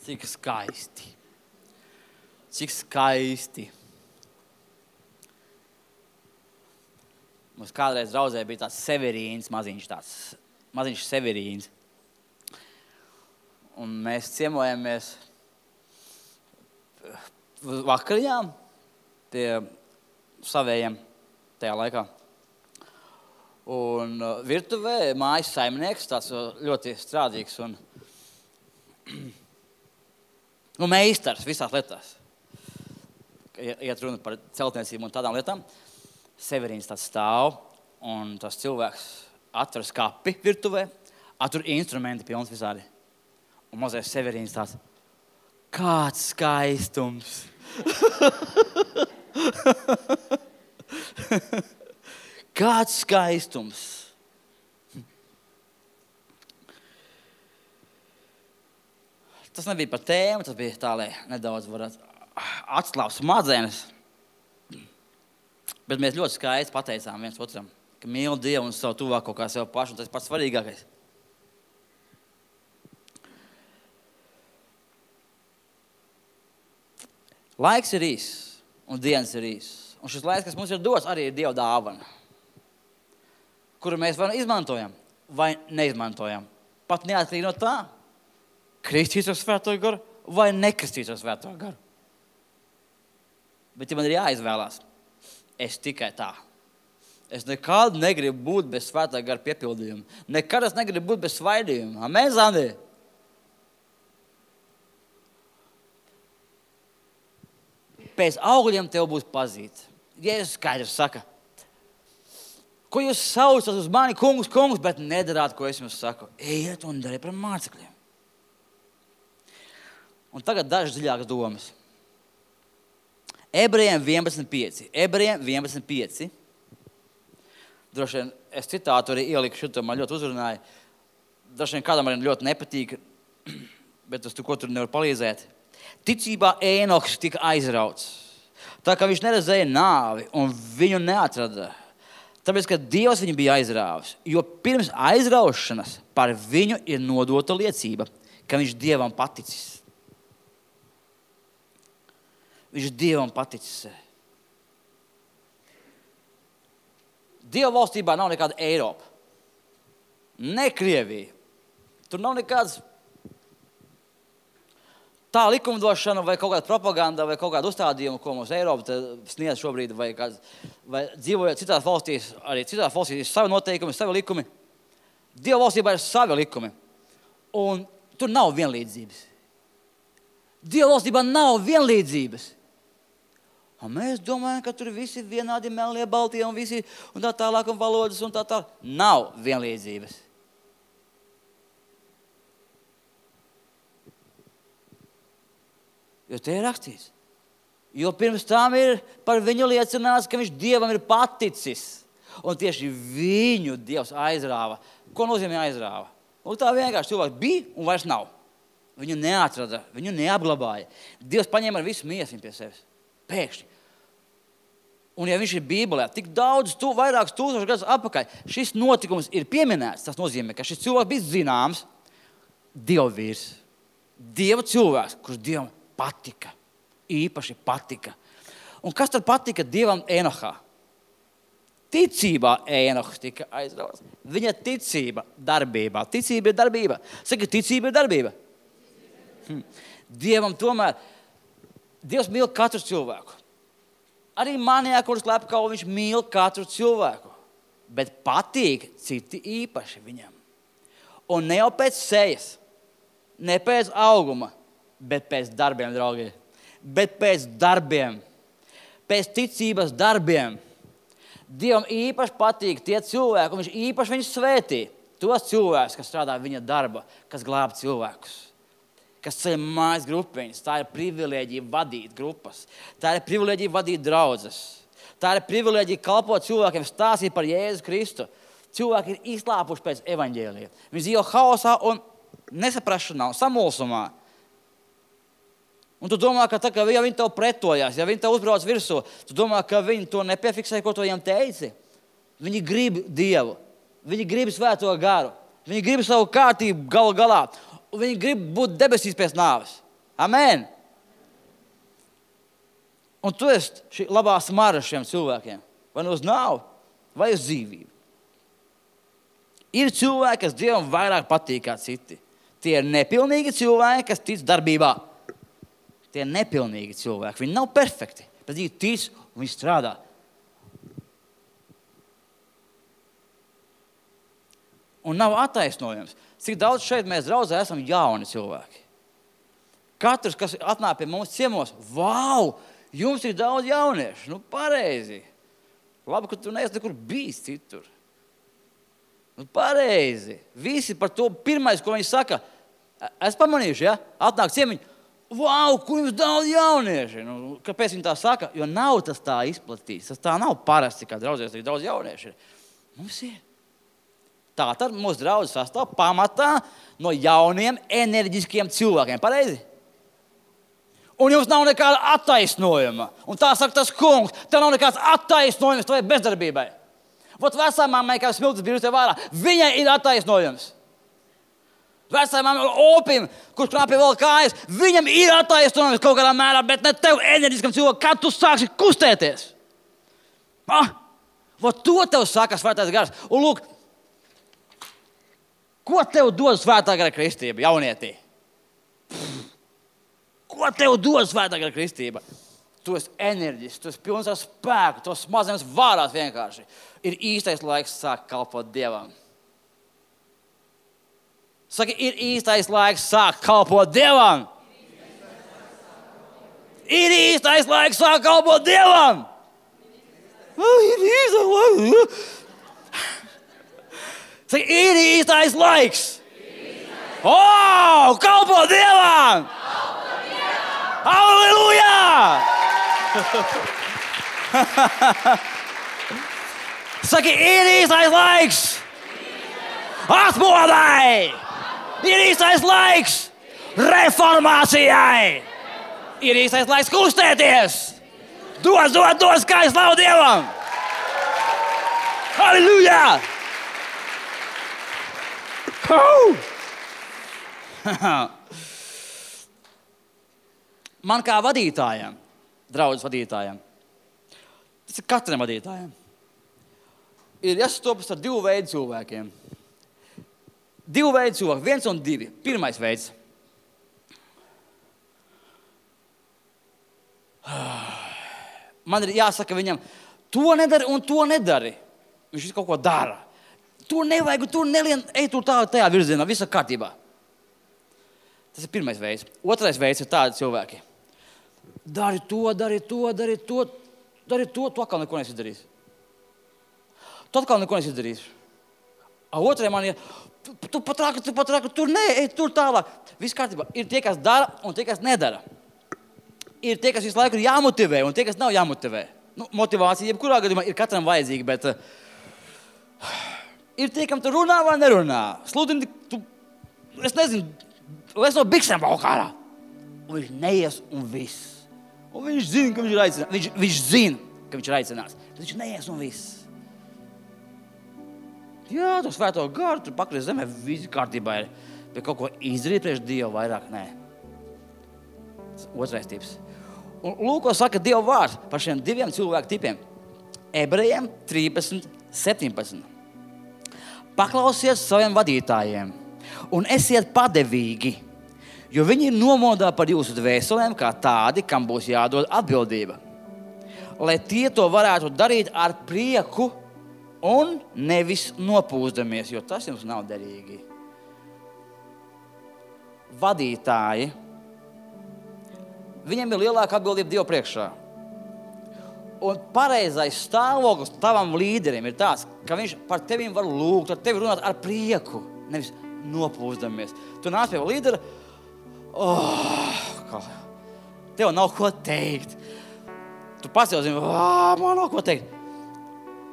Cik skaisti. Cik skaisti. Mums kādreiz draudzē bija tāds Severīns, maziņš Severīns. Un mēs ciemojamies vakariņām pie savējiem tajā laikā. Un virtuvē mājas saimnieks, tāds ļoti strādīgs un meistars visās lietās. Iet runa par celtniecību un tādām lietām. Severīns tāds stāv, un tas cilvēks atver skapi virtuvē, atver instrumenti pilns visādi. Un mazais Severīns tāds, kāds skaistums! Kāds skaistums! Tas nebija par tēmu, tas bija tā, lai nedaudz varētu atslābt smadzenes. Bet mēs ļoti skaisti pateicām viens otram, ka mīl Dievu un savu tuvāko kā sev pašu, un tas pats svarīgākais. Laiks ir īss, un dienas ir īss. Un šis laiks, kas mums ir dots, arī ir Dieva dāvana, kuru mēs vai izmantojam, vai neizmantojam. Pat neatkarīgi no tā, kristīs ar Svēto garu vai nekristīs ar Svēto garu. Bet ja man ir jāizvēlās, es tikai tā. Es nekad negribu būt bez Svētā gara piepildījuma. Nekad es negribu būt bez svaidījuma. Amen, Zandi? Pēc augļiem tev būs pazīt. Jēzus skaidrs saka, ko jūs saucat uz mani, kungs, bet nedarāt, ko es jums saku. Ejiet un dariet par mācekļiem. Un tagad dažas dziļākas domas. Ebrejiem 11.5. Ebrejiem 11.5. Droši vien es citātu arī ieliku šito, man ļoti uzrunāja. Droši vien kādam arī ļoti nepatīk, bet es ko tur nevaru palīdzēt. Ticībā Ēnoks tika aizrauts. Tā kā viņš neredzēja nāvi un viņu neatrada. Tāpēc, ka Dievs viņu bija aizrāvis. Jo pirms aizraušanas par viņu ir nodota liecība, ka viņš Dievam paticis. Viņš Dievam paticis. Dieva valstībā nav nekāda Eiropa. Ne Krievija. Tur nav nekāds tā likumdošana vai kaut kāda propaganda vai kaut kāda uzstādījuma, ko mums Eiropa sniedz šobrīd, vai dzīvojot citās valstīs, arī citās valstīs ir savi noteikumi, savi likumi. Dieva valstībā ir savi likumi. Un tur nav vienlīdzības. Dieva valstībā nav vienlīdzības. Un mēs domājam, ka tur visi vienādi melnie, baltie un visi un tā tālāk un valodas un tā tālāk. Nav vienlīdzības. Jo te ir rakstīts. Jo pirms tam ir par viņu liecināts, ka viņš Dievam ir paticis. Un tieši viņu Dievs aizrāva. Ko nozīmē aizrāva? Un tā vienkārši cilvēks bija un vairs nav. Viņu neatrada, viņu neapglabāja. Dievs paņēma ar visu miesiņu pie sevis. Pēkšņi. Un ja viņš ir Bībelē, tik daudz, vairākus tūkstošus gadus atpakaļ, šis notikums ir pieminēts. Tas nozīmē, ka šis cilvēks bija zināms Dieva vīrs. Dieva cilvēks, kurš Dievam patika. Īpaši patika. Un kas tad patika Dievam Enohā? Ticībā Enohs tika aizrauts. Viņa ticība darbībā. Ticība ir darbība. Saka, ticība ir darbība. Dievam tomēr, Dievs mīl katru cilvēku. Arī manijā, kurš lepkau, viņš mīl katru cilvēku. Bet patīk citi īpaši viņam. Un ne jau pēc sejas, ne pēc auguma, bet pēc darbiem, draugi. Bet pēc darbiem. Pēc ticības darbiem. Dievam īpaši patīk tie cilvēki, un viņš īpaši viņus svētī. Tos cilvēkus, kas strādā viņa darba, kas glāb cilvēkus. Kas ceļ mājas grupiņas. Tā ir privilēģija vadīt grupas. Tā ir privilēģija vadīt draudzes. Tā ir privilēģija kalpot cilvēkiem, stāstīt par Jēzu Kristu. Cilvēki ir izslāpuši pēc evaņģēlija. Viņi dzīvo haosā un nesaprašanā un samulsumā. Un tu domā, ka tā, ja viņi tev pretojās, ja viņi tev uzbrauc virsū, tu domā, ka viņi to nepiefiksē, ko tu viņam teici. Viņi grib Dievu. Viņi grib Svēto garu. Viņi grib savu kārtību galu galā. Un viņi grib būt debesīs pēc nāves. Amen. Un tu esi šī labā smara šiem cilvēkiem. Vai nu uz nāvu, vai uz dzīvību. Ir cilvēki, kas Dievam vairāk patīk kā citi. Tie ir nepilnīgi cilvēki, kas tic darbībā. Tie ir nepilnīgi cilvēki. Viņi nav perfekti, bet viņi tic un viņi strādā. Un nav attaisnojums. Cik daudz šeit mēs draudzē esam jauni cilvēki. Katrs, kas atnāk pie mums ciemos, vau, jums ir daudz jauniešu. Nu, pareizi. Labi, ka tu neesi nekur bijis citur. Nu, pareizi. Visi par to pirmais, ko viņi saka, es pamanījuši, ja? Atnāk ciemiņi, vau, kur jums daudz jaunieši. Nu, kāpēc viņi tā saka? Jo nav tas tā izplatīts. Tas tā nav parasti, kā draudzēs, tik daudz jaunieši ir. Mums ir. Tātad mūsu draudzes sastāv pamatā no jauniem, enerģiskiem cilvēkiem. Pareizi? Un jums nav nekāda attaisnojuma. Un tā saka tas kungs, tev nav nekāds attaisnojums tavai bezdarbībai. Vot vecāmāmai, kā smiltis bija tev vārā, viņai ir attaisnojums. Vecāmāmai opim, kurš knāpja vēl kājas, viņam ir attaisnojums kaut kādā mērā, bet ne tev enerģiskam cilvēkam, kad tu sāksi kustēties. Vot to tev saka Svētais Gars. Un lūk, ko tev dod Svētā Gara kristība, jaunietī? Ko tev dod Svētā Gara kristība? Tu esi enerģisks, tu esi pilns ar spēku, tu smadzenes vārās vienkārši. Ir īstais laiks sākt kalpot Dievam. Saki, ir īstais laiks sākt kalpot Dievam. Ir īstais laiks sākt kalpot Dievam. Ir īstais laiks. Saki, ir īstais laiks. Kalpot Dievam. Halleluja! Saki, ir īstais laiks! Atmodai! Ir īstais laiks reformācijai! Ir īstais laiks kustēties! Dod, skaisti slavu Dievam! Halleluja! Man kā vadītājiem, draudzes vadītājiem, tas ir katram vadītājiem, ir jāsastopas ar divu veidu cilvēkiem. Divu veidu cilvēki, 1 un 2. Pirmais veids. Man ir jāsaka viņam, to nedari un to nedari. Viņš kaut ko dara. To nevajag, to nelien, ej tur tajā virzienā, viss ir kārtībā. Tas ir pirmais veids. Otrais veids ir tādi cilvēki. Dari to, tu atkal neko neizdarīsi. Otrai man ir, tu pat rāki, tur nē, ej tur tālāk. Viss kārtībā. Ir tie, kas dara un tie, kas nedara. Ir tie, kas visu laiku ir jāmotivē un tie, kas nav jāmotivē. Motivācija jebkurā gadījumā ir katram vajadzīga, bet ir tie, kam tu runā vai nerunā. Sludini, es nezinu, es no biksēm valk ārā. Un viņš neies un viss. Un viņš zina, ka viņš ir aicināts. Viņš zina, ka viņš ir aicināts. Bet viņš neies un viss. Jā, tu Svēto Garu, tu pakries zemē, visi kārtībā ir. Bet kaut ko izdarīt priekš Dievu vairāk, nē. Otrais tips. Un lūk, ko saka Dieva vārds par šiem diviem cilvēku tipiem. Ebrejiem 13:17. Paklausies saviem vadītājiem un esiet padevīgi, jo viņi ir nomodā par jūsu dvēselēm kā tādi, kam būs jādod atbildība. Lai tie to varētu darīt ar prieku un nevis nopūsdamies, jo tas jums nav derīgi. Vadītāji, viņiem ir lielāka atbildība Dievu priekšā. Un pareizais stāvoklis tavam līderim ir tāds, ka viņš par tevim var lūgt, ar tevi runāt ar prieku, nevis nopūsdamies. Tu nāc pie līdera, tev nav ko teikt. Tu pats jau zini, man nav ko teikt.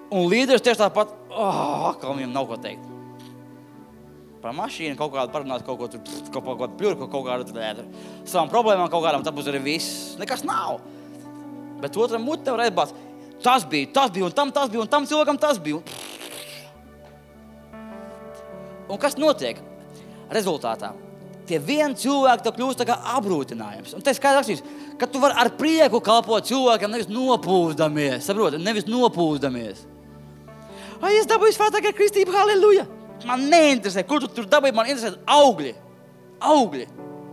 Un līderis tieši tāpat, atkal viņam nav ko teikt. Par mašīnu kaut kādu parunāt, kaut kādu pļurku, kaut kādu savām problēmām, kaut kādām, tad būs arī viss. Nekas nav. Bet otram mut tev reizbāts, tas bija, un tam cilvēkam tas bija. Un kas notiek rezultātā? Tie vieni cilvēki tev kļūst tā kā apgrūtinājums. Un te skaidrs rakstīts, ka tu vari ar prieku kalpot cilvēkiem, nevis nopūsdamies. Saproti, nevis nopūsdamies. Es dabūju Svētā Gara kristību, halleluja. Man neinteresē, kur tu tur dabūji, man interesē augļi,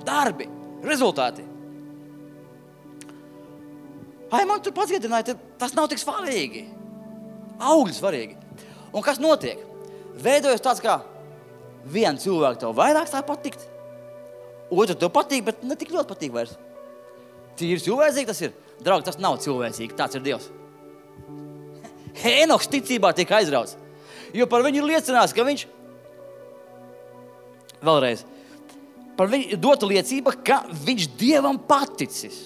darbi, rezultāti. Man tur pats iedināja, tas nav tik svarīgi. Augļi svarīgi. Un kas notiek? Veidojas tāds kā viens cilvēks tev vairāk sāk patikt. Otru tev patīk, bet ne tik ļoti patīk vairs. Tīri cilvēcīgi tas ir. Draugi, tas nav cilvēcīgi, tāds ir Dievs. Hēnoks ticībā tiek aizrauts. Jo par viņu ir liecinās, ka viņš vēlreiz par viņu ir dota liecība, ka viņš Dievam paticis.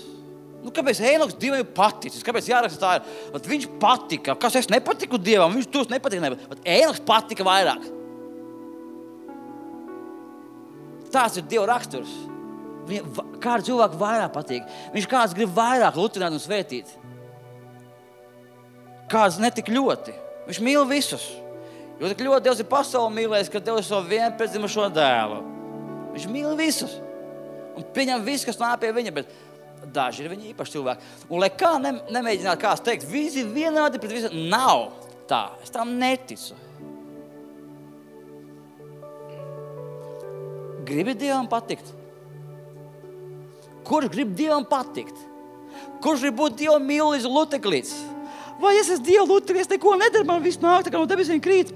Kāpēc Hēnoks Dievam ir paticis? Kāpēc jāraksta tā ir? Viņš patika. Kas es nepatiku Dievam? Viņš tos nepatika. Bet Hēnoks patika vairāk. Tās ir Dieva raksturs. Kādu cilvēku vairāk patīk. Viņš kāds grib vairāk lutināt un svētīt. Kāds netik ļoti. Viņš mīl visus. Jo tik ļoti Dievs ir pasauli mīlējis, ka Dievs ir savu vienpiedzimušo dēlu. Viņš mīl visus. Un pieņem visu, kas nāk pie viņa, bet daži ir viņa īpaši cilvēki. Un lai kā nemēģināt kāds teikt, visi vienādi pret visiem, nav tā. Es tam neticu. Gribi Dievam patikt? Kurš grib Dievam patikt? Kurš grib būt Dievam mīlis luteklīts? Vai es esmu Dieva luteklīts, neko nedara, man viss nāk, tā kā no debesīm krīt?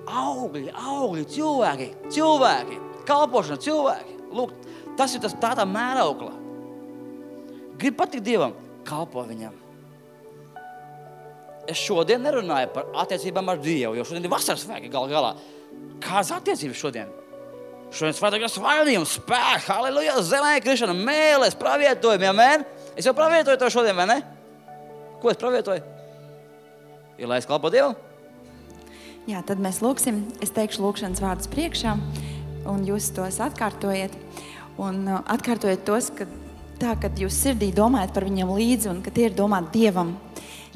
Augļi, cilvēki, kalpošana, cilvēki. Lūk, tas ir tā mēraukla. Grib patikt Dievam, kalpo viņam. Es šodien nerunāju par attiecībām ar Dievu, jo šodien ir vasaras svētki galā. Kādas attiecības šodien? Šodien svētāk ir svainījums, spēks, halleluja, zemē krišana, mēlēs, pravietojumi, amen? Es jau pravietoju to šodien, vai ne? Ko es pravietoju? Ir, lai es kalpo Dievam? Jā, tad mēs lūksim. Es teikšu lūkšanas vārdus priekšā, un jūs tos atkārtojiet. Un atkārtojiet tos, kad jūs sirdī domājat par viņam līdzi, un ka tie ir domāti Dievam.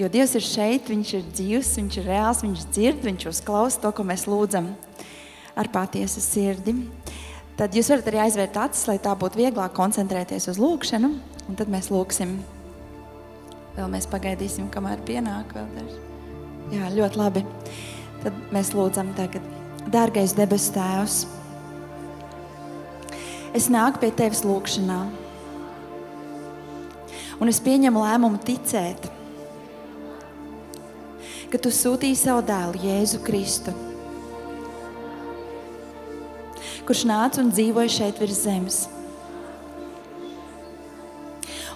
Jo Dievs ir šeit, viņš ir dzīvs, viņš ir reāls, viņš dzird, viņš uzklausa to, ko mēs lūdzam ar patiesu sirdi. Tad jūs varat arī aizvērt acis, lai tā būtu vieglāk koncentrēties uz lūkšanu, un tad mēs lūksim. Vēl mēs pagaidīsim, kamēr pienāk vēl daži. Jā, ļoti labi. Tad mēs lūdzam tagad. Dārgais debesu Tēvs, es nāku pie Tevis lūkšanā, un es pieņemu lēmumu ticēt, ka Tu sūtīji savu dēlu Jēzu Kristu, kurš nāca un dzīvoja šeit virs zemes,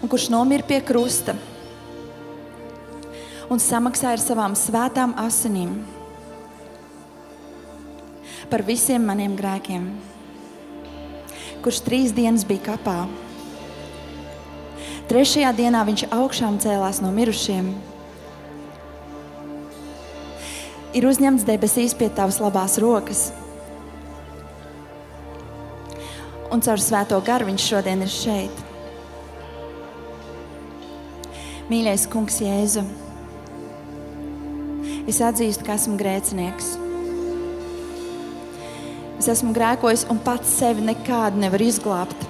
un kurš nomira pie krusta un samaksāja ar savām svētām asinīm par visiem maniem grēkiem, kurš 3 dienas bija kapā. 3. dienā viņš augšām cēlās no mirušiem, ir uzņemts debesīs pie Tavas labās rokas, un caur Svēto garu viņš šodien ir šeit. Mīļais Kungs Jēzu, es atzīstu, ka esmu grēcinieks. Es esmu grēkojis un pats sevi nekādu nevaru izglābt.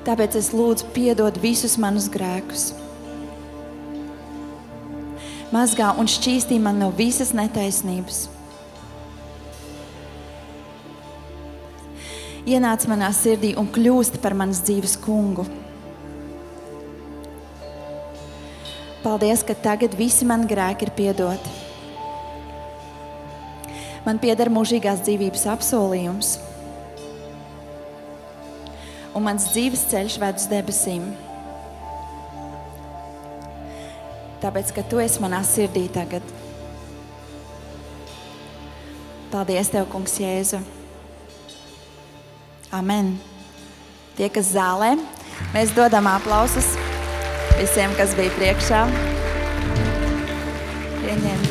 Tāpēc es lūdzu piedod visus manus grēkus. Mazgā un šķīstī man no visas netaisnības. Ienāc manā sirdī un kļūst par manas dzīves kungu. Paldies, ka tagad visi mani grēki ir piedoti. Man pieder mūžīgās dzīvības apsolījums, un mans dzīves ceļš ved uz debesīm. Tāpēc, ka Tu esi manā sirdī tagad. Paldies Tev, Kungs Jēzu. Amen. Tie, kas zālē, mēs dodam aplausus visiem, kas bija priekšā. Pieņem.